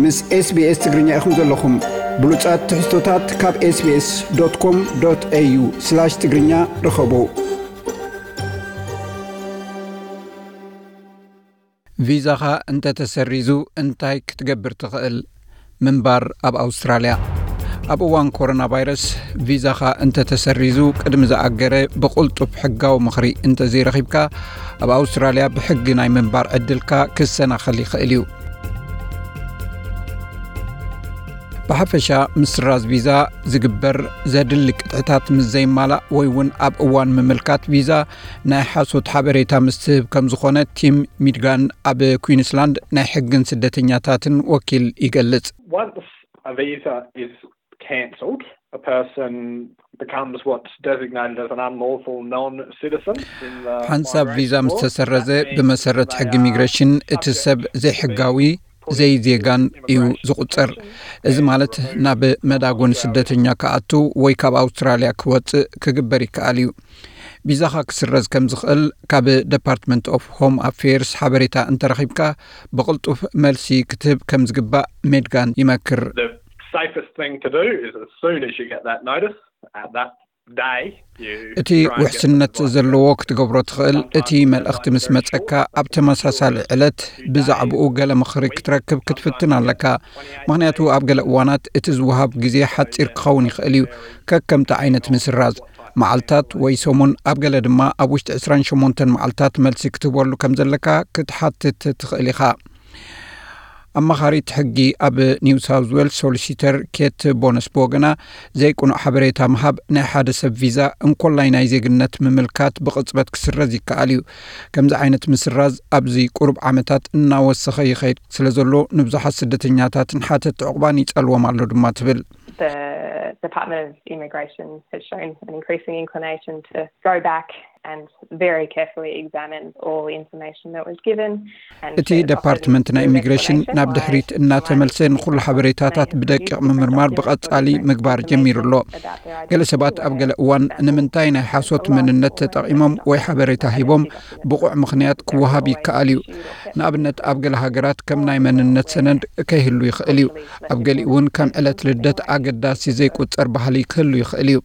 ምስ SBS ትግርኛ ኢኹም ዘለኹም። ብሉጻት ትሕዝቶታት ካብ SBS.com.au/ትግርኛ ርኸቡ። ቪዛኻ እንተተሰሪዙ እንታይ ክትገብር ትኽእል? ምንባር ኣብ ኣውስትራልያ። ኣብ እዋን ኮሮና ቫይረስ ቪዛኻ እንተተሰሪዙ ቅድሚ ዝኣገረ ብቕልጡፍ ሕጋዊ ምኽሪ እንተዘይረኺብካ፣ ኣብ ኣውስትራልያ ብሕጊ ናይ ምንባር ዕድልካ ክሰናኸል ይኽእል እዩ። ብሓፈሻ ምስራዝ ቪዛ ዝግበር ዘድሊ ቅጥዕታት ምስ ዘይማላእ ወይ እውን ኣብ እዋን ምምልካት ቪዛ ናይ ሓሶት ሓበሬታ ምስ ትህብ ከም ዝኾነ ቲም ሚድጋን ኣብ ኩዊንስላንድ ናይ ሕግን ስደተኛታትን ወኪል ይገልጽ። Once a visa is cancelled, a person becomes what's designated as an unlawful non-citizen. ሓንሳብ ቪዛ ምስ ተሰረዘ ብመሰረት ሕጊ ኢሚግሬሽን እቲ ሰብ ዘይሕጋዊ ዘይዜጋን እዩ ዝቑጸር። እዚ ማለት ናብ መዳጎኒ ስደተኛ ክኣቱ ወይ ካብ ኣውስትራልያ ክወጽእ ክግበር ይከኣል እዩ። ቪዛኻ ክስረዝ ከም ዝኽእል ካብ ደፓርትመንት ኦፍ ሆም ኣፌርስ ሓበሬታ እንተረኺብካ ብቕልጡፍ መልሲ ክትህብ ከም ዝግባእ ሜድጋን ይመክር። The safest thing to do is as soon as you get that notice, at that day, you እቲ ውሕስነት ዘለዎ ክትገብሮ ትኽእል፣ እቲ መልእኽቲ ምስ መጸካ ኣብ ተመሳሳሊ ዕለት ብዛዕባኡ ገለ ምኽሪ ክትረክብ ክትፍትን ኣለካ። ምኽንያቱ ኣብ ገለ እዋናት እቲ ዝወሃብ ግዜ ሓጺር ክኸውን ይኽእል እዩ፣ ከከምቲ ዓይነት ምስራዝ። መዓልታት ወይ ሰሙን፣ ኣብ ገለ ድማ ኣብ ውሽጢ ዕስራን ሸሞንተን መዓልታት መልሲ ክትህበሉ ከም ዘለካ ክትሓትት ትኽእል ኢኻ። ኣማኻሪት ሕጊ ኣብ ኒው ሳውዝ ዌልስ ሶሊሲተር ኬት ቦነስ ብወገና፣ ዘይቅኑዕ ሓበሬታ ምሃብ ናይ ሓደ ሰብ ቪዛ እንኮላይ ናይ ዜግነት ምምልካት ብቕጽበት ክስረዝ ይከኣል እዩ። ከምዚ ዓይነት ምስራዝ ኣብዚ ቁሩብ ዓመታት እናወሰኸ ይኸይድ ስለ ዘሎ ንብዙሓት ስደተኛታትን ሓተት ዕቑባን ይጸልዎም ኣሎ ድማ ትብል። The Department of Immigration has shown an increasing inclination to go back and very carefully examine all information that was given. እቲ ደፓርትመንት ናይ ኢሚግሬሽን ናብ ድሕሪት እናተመልሰ ንኹሉ ሓበሬታታት ብደቂቕ ምምርማር ብቐጻሊ ምግባር ጀሚሩ ኣሎ። ገለ ሰባት ኣብ ገለ እዋን ንምንታይ ናይ ሓሶት መንነት ተጠቒሞም ወይ ሓበሬታ ሂቦም ብቑዕ ምኽንያት ክወሃብ ይከኣል እዩ። ንኣብነት ኣብ ገለ ሃገራት ከም ናይ መንነት ሰነድ ከይህሉ ይኽእል እዩ። ኣብ ገሊኡ እውን ከም ዕለት ልደት ኣገዳሲ ዘይቁጸር ባህሊ ክህሉ ይኽእል እዩ።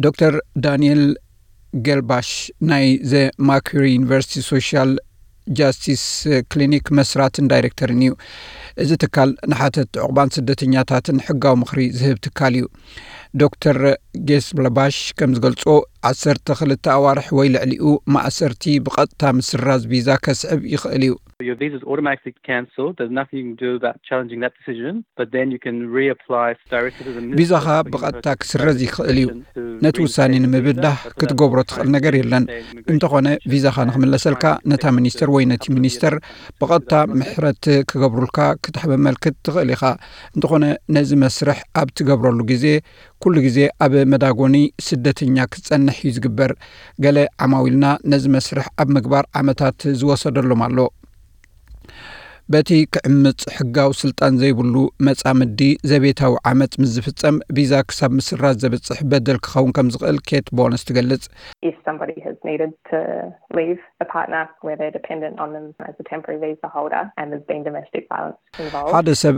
ዶክተር ዳንኤል ገልባሽ ናይ ዘ ማኩሪ ዩኒቨርሲቲ ሶሻል ጃስቲስ ክሊኒክ መስራትን ዳይሬክተርን እዩ። እዚ ትካል ንሓተት ዕቑባን ስደተኛታትን ሕጋዊ ምኽሪ ዝህብ ትካል እዩ። ዶክተር ጌስብለባሽ ከም ዝገልጾ ዓሰርተ ክልተ ኣዋርሕ ወይ ልዕሊኡ ማእሰርቲ ብቐጥታ ምስራዝ ቪዛ ከስዕብ ይኽእል እዩ። Your visa is automatically cancelled. There's nothing you can do about challenging that decision, but then you can reapply directly to the minister. ቪዛኻ ብቐጥታ ክስረዝ ይኽእል እዩ። ነቲ ውሳኔ ንምብዳህ ክትገብሮ ትኽእል ነገር የለን። እንተኾነ ቪዛኻ ንክምለሰልካ ነታ ሚኒስተር ወይ ነቲ ሚኒስተር ብቐጥታ ምሕረት ክገብሩልካ ክተመልክት ትኽእል ኢኻ። እንተኾነ ነዚ መስርሕ ኣብ ትገብረሉ ግዜ ኩሉ ግዜ ኣብ መዳጎኒ ስደተኛ ክትጸንሕ እዩ ዝግበር። ገለ ዓማዊልና ነዚ መስርሕ ኣብ ምግባር ዓመታት ዝወሰደሎም ኣሎ። በቲ ክዕምጽ ሕጋዊ ስልጣን ዘይብሉ መጻምዲ ዘቤታዊ ዓመጽ ምስ ዝፍጸም ቪዛ ክሳብ ምስራዝ ዘብጽሕ በደል ክኸውን ከም ዝኽእል ኬት ቦነስ ትገልጽ። If somebody has needed to leave a partner where they're dependent on them as a temporary visa holder and there's been domestic violence involved, ሓደ ሰብ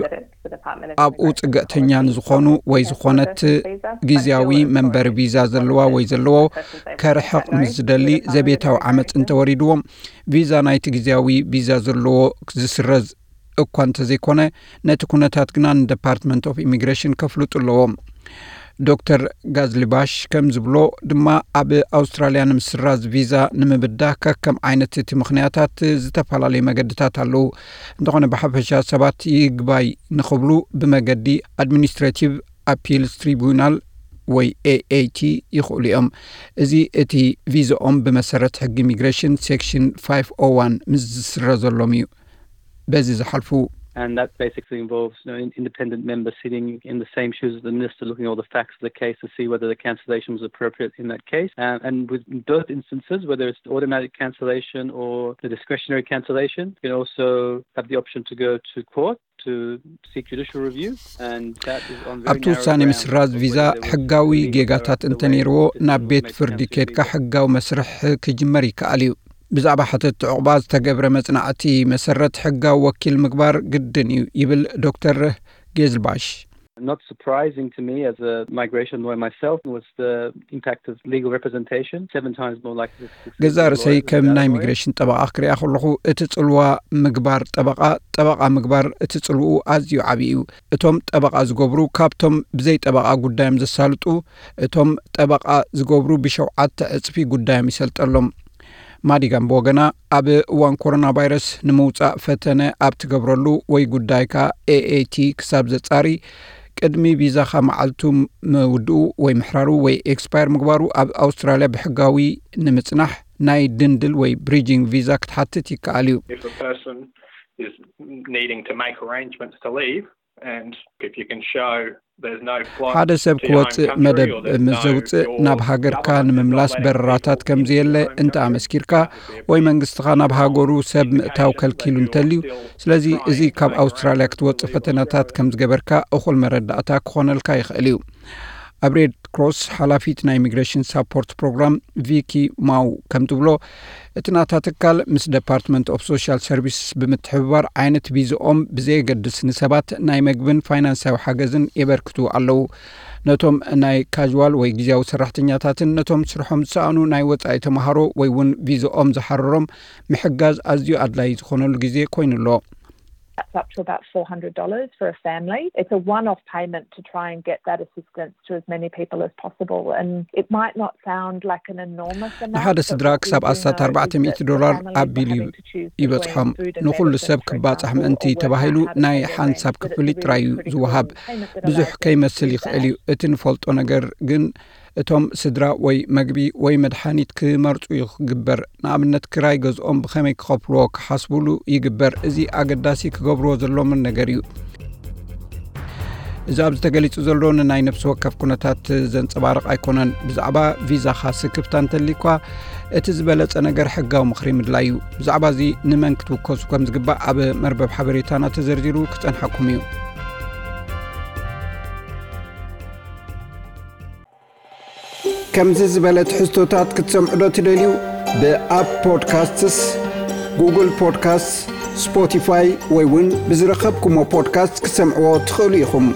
ኣብኡ ጽግዕተኛ ንዝኾኑ ወይ ዝኾነት ግዝያዊ መንበሪ ቪዛ ዘለዋ ወይ ዘለዎ ከርሕቕ ምስ ዝደሊ ዘቤታዊ ዓመጽ እንተወሪድዎም ቪዛ ናይቲ ግዝያዊ ቪዛ ዘለዎ ዝስረዝ እኳ እንተዘይኮነ ነቲ ኩነታት ግና ንደፓርትመንት ኦፍ ኢሚግሬሽን ከፍልጡ ኣለዎም። ዶክተር ጋዝሊባሽ ከም ዝብሎ ድማ ኣብ ኣውስትራልያ ንምስራዝ ቪዛ ንምብዳ ከከም ዓይነት እቲ ምኽንያታት ዝተፈላለዩ መገድታት ኣለዉ። እንተኾነ ብሓፈሻ ሰባት ይግባይ ንኽብሉ ብመገዲ ኣድሚኒስትሬቲቭ ኣፒልስ ትሪቡናል ወይ ኤኤቲ ይኽእሉ እዮም። እዚ እቲ ቪዛኦም ብመሰረት ሕጊ ኢሚግሬሽን ሴክሽን ፋይቭ ኦ ዋን ምስ ዝስረዘሎም እዩ በዚ ዝሓልፉ። And that basically involves you know, an independent member sitting in the same shoes as the minister, looking at all the facts of the case to see whether the cancellation was appropriate in that case. Um, and with both instances, whether it's automatic cancellation or the discretionary cancellation, you can also have the option to go to court to seek judicial review. And that is on very ኣብቲ ውሳኔ ምስራዝ ቪዛ ሕጋዊ ጌጋታት እንተነይርዎ ናብ ቤት ፍርዲ ኬድካ ሕጋዊ መስርሕ ክጅመር ይከኣል እዩ። ብዛዕባ ሕትት ዕቑባ ዝተገብረ መጽናዕቲ መሰረት ሕጋዊ ወኪል ምግባር ግድን እዩ ይብል ዶክተር ጌዝልባሽ። Not surprising to me as a migration lawyer myself was the impact of legal representation. Seven times more likely to succeed. ገዛ ርእሰይ ከም ናይ ኢሚግሬሽን ጠበቓ ክሪኣ ከለኹ እቲ ጽልዋ ምግባር ጠበቓ ጠበቓ ምግባር እቲ ጽልውኡ ኣዝዩ ዓብዪ እዩ። እቶም ጠበቓ ዝገብሩ ካብቶም ብዘይ ጠበቓ ጉዳዮም ዘሳልጡ እቶም ጠበቓ ዝገብሩ ብሸውዓተ ዕጽፊ ጉዳዮም ይሰልጠሎም። ማዲጋም ብወገና ኣብ እዋን ኮሮና ቫይረስ ንምውጻእ ፈተነ ኣብ ትገብረሉ ወይ ጉዳይካ ኤኤቲ ክሳብ ዘጻሪ ቅድሚ ቪዛኻ መዓልቱ ምውድኡ ወይ ምሕራሩ ወይ ኤክስፓየር ምግባሩ ኣብ ኣውስትራልያ ብሕጋዊ ንምጽናሕ ናይ ድንድል ወይ ብሪጂንግ ቪዛ ክትሓትት ይከኣል እዩ። If a person is needing to make arrangements to leave, and if you can show there's no flight ሓደ ሰብ ክወፅእ መደብ ምስ ዘውፅእ ናብ ሃገርካ ንምምላስ በረራታት ከም ዘየለ እንተ ኣመስኪርካ ወይ መንግስትኻ ናብ ሃገሩ ሰብ ምእታው ከልኪሉ እንተልዩ፣ ስለዚ እዚ ካብ ኣውስትራልያ ክትወፅእ ፈተነታት ከም ዝገበርካ እኹል መረዳእታ ክኾነልካ ይኽእል እዩ። ኣብ ሬድ ክሮስ ሓላፊት ናይ ኢሚግሬሽን ሳፖርት ፕሮግራም ቪኪ ማው ከም ትብሎ፣ እቲ ናታ ትካል ምስ ደፓርትመንት ኦፍ ሶሻል ሰርቪስስ ብምትሕብባር ዓይነት ቪዝኦም ብዘየገድስ ንሰባት ናይ መግብን ፋይናንሳዊ ሓገዝን የበርክቱ ኣለዉ። ነቶም ናይ ካዥዋል ወይ ግዜያዊ ሰራሕተኛታትን ነቶም ስርሖም ዝሰኣኑ ናይ ወጻኢ ተምሃሮ ወይ እውን ቪዝኦም ዝሓረሮም ምሕጋዝ ኣዝዩ ኣድላዪ ዝኾነሉ ግዜ ኮይኑ ኣሎ። That's up to about four hundred dollars for a family. It's a one off payment to try and get that assistance to as many people as possible. And it might not sound like an enormous amount. ንሓደ ስድራ ክሳብ ኣስታት ኣርባዕተ ሚእቲ ዶላር ኣቢሉ ይበጽሖም። ንኹሉ ሰብ ክባጻሕ ምእንቲ ተባሂሉ ናይ ሓንሳብ ክፍሊት ጥራይ እዩ ዝወሃብ። ብዙሕ ከይመስል ይኽእል እዩ። እቲ ንፈልጦ ነገር ግን እቶም ስድራ ወይ መግቢ ወይ መድሓኒት ክመርጹ እዩ ክግበር። ንኣብነት ክራይ ገዝኦም ብኸመይ ክኸፍልዎ ክሓስቡሉ ይግበር። እዚ ኣገዳሲ ክገብርዎ ዘሎምን ነገር እዩ። እዚ ኣብዚ ተገሊጹ ዘሎ ንናይ ነፍሲ ወከፍ ኩነታት ዘንጸባርቕ ኣይኮነን። ብዛዕባ ቪዛኻ ስክፍታ እንተልዩኳ እቲ ዝበለጸ ነገር ሕጋዊ ምኽሪ ምድላይ እዩ። ብዛዕባ እዚ ንመን ክትውከሱ ከም ዝግባእ ኣብ መርበብ ሓበሬታና ተዘርዚሩ ክጸንሓኩም እዩ። ከምዚ ዝበለ ትሕዝቶታት ክትሰምዑ ዶ ትደልዩ? ብኣፕ ፖድካስትስ፣ ጉግል ፖድካስትስ፣ ስፖቲፋይ ወይ እውን ብዝረኸብኩሞ ፖድካስት ክትሰምዕዎ ትኽእሉ ኢኹም።